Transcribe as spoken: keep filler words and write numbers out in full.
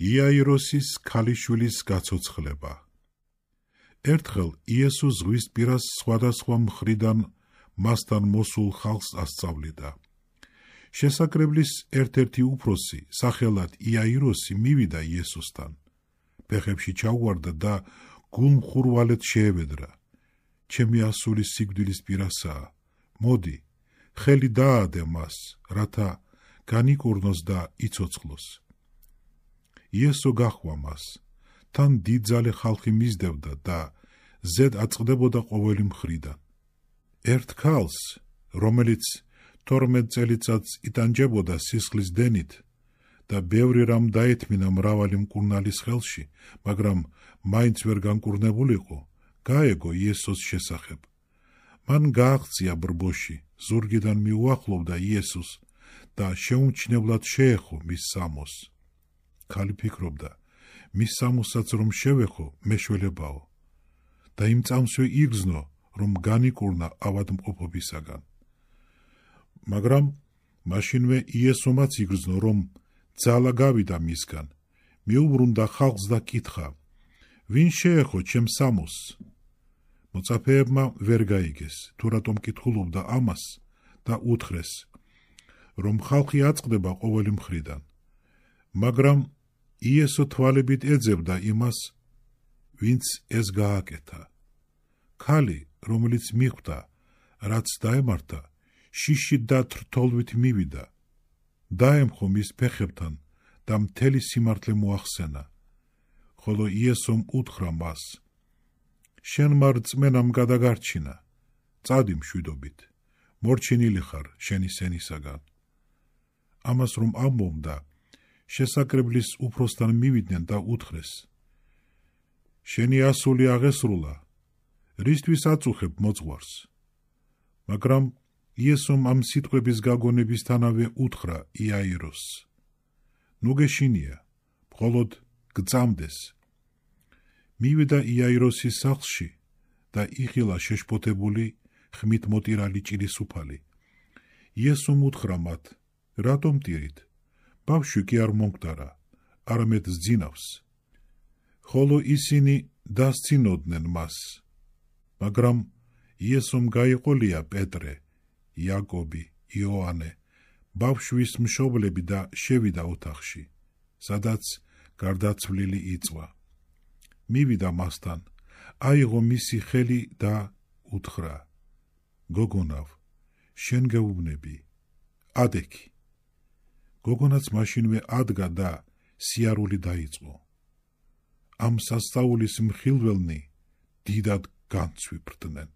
იაიროსის ქალიშვილის გაცოცხლება. ერთხელ იესო ზღვისპირას სხვადასხვა მხრიდან მასთან მოსულ ხალხს ასწავლიდა. შესაკრებლის ერთ-ერთი უფროსი, სახელად იაიროსი, მივიდა იესოსთან. ფეხებში ჩაუვარდა და გულმხურვალედ შეევედრა. ჩემი ასული სიკვდილის პირასაა. მოდი, ხელი დაადე მას, რათა განიკურნოს და იცოცხლოს. იესო გაჰყვა მას. თან დიდძალი ხალხი მისდევდა და ზედ აწყდებოდა ყოველი მხრიდან. ერთ ქალს, რომელიც თორმეტ წელიწადს იტანჯებოდა სისხლის დენით და ბევრი რამ დაეთმინა მრავალი მკურნალის ხელში, მაგრამ მაინც ვერ განკურნებულიყო, გაეგო იესოს შესახებ. მან გააღწია ბრბოში, ზურგიდან მიუახლოვდა იესოს და შეუმჩნევლად შეეხო მის სამოს. ქალი ფიქრობდა, მის სამოსაც რომ შევეხო, მეშველებაო და იმ წამსვე იგრძნო, რომ განიკურნა ავადმყოფობისაგან. მაგრამ მაშინვე იესომაც იგრძნო, რომ ძალა გავიდა მისგან. მიუბრუნდა ხალხს და კითხა, ვინ შეეხო ჩემ სამოს? მოწაფეებმა ვერ გაიგეს, თუ რატომ კითხულობდა ამას და უთხრეს, რომ ხალხი აწყდება ყოველი მხრიდან. მაგრამ იესო თვალებით ეძებდა იმას, ვინც ეს გააკეთა. ქალი, რომელიც მიხვდა, რაც დაემართა, შიშით და თრთოლვით მივიდა. დაემხო მის ფეხებთან და მთელი სიმართლე მოახსენა. ხოლო იესომ უთხრა მას, შენმა რწმენამ გადაგარჩინა, წადი მშვიდობით, მორჩენილი ხარ შენი სენისაგან. ამას რომ ამბობდა, შესაკრებლის უფროსთან მივიდნენ და უთხრეს, შენი ასული აღესრულა, რისთვის აწუხებ მოძღვარს? მაგრამ იესომ ამ სიტყვების გაგონებისთანავე უთხრა იაიროსს, ნუ გეშინია, მხოლოდ გწამდეს. მივიდა იაიროსის სახლში და იხილა შეშფოთებული, ხმით მოტირალი ჭირისუფალი. იესომ უთხრა მათ, რატომ ტირით? ბავშვი კი არ მომკვდარა, არამედ სძინავს. ხოლო ისინი დასცინოდნენ მას. მაგრამ იესომ გაიყოლია პეტრე, იაკობი, იოანე, ბავშვის მშობლები და შევიდა ოთახში, სადაც გარდაცვლილი იწვა. მივიდა მასთან, აიღო მისი ხელი და უთხრა, გოგონავ, შენ გეუბნები, ადექი. გოგონაც მაშინვე ადგა და სიარული დაიწყო. ამ სასწაულის მხილველნი დიდად განცვიფრდნენ.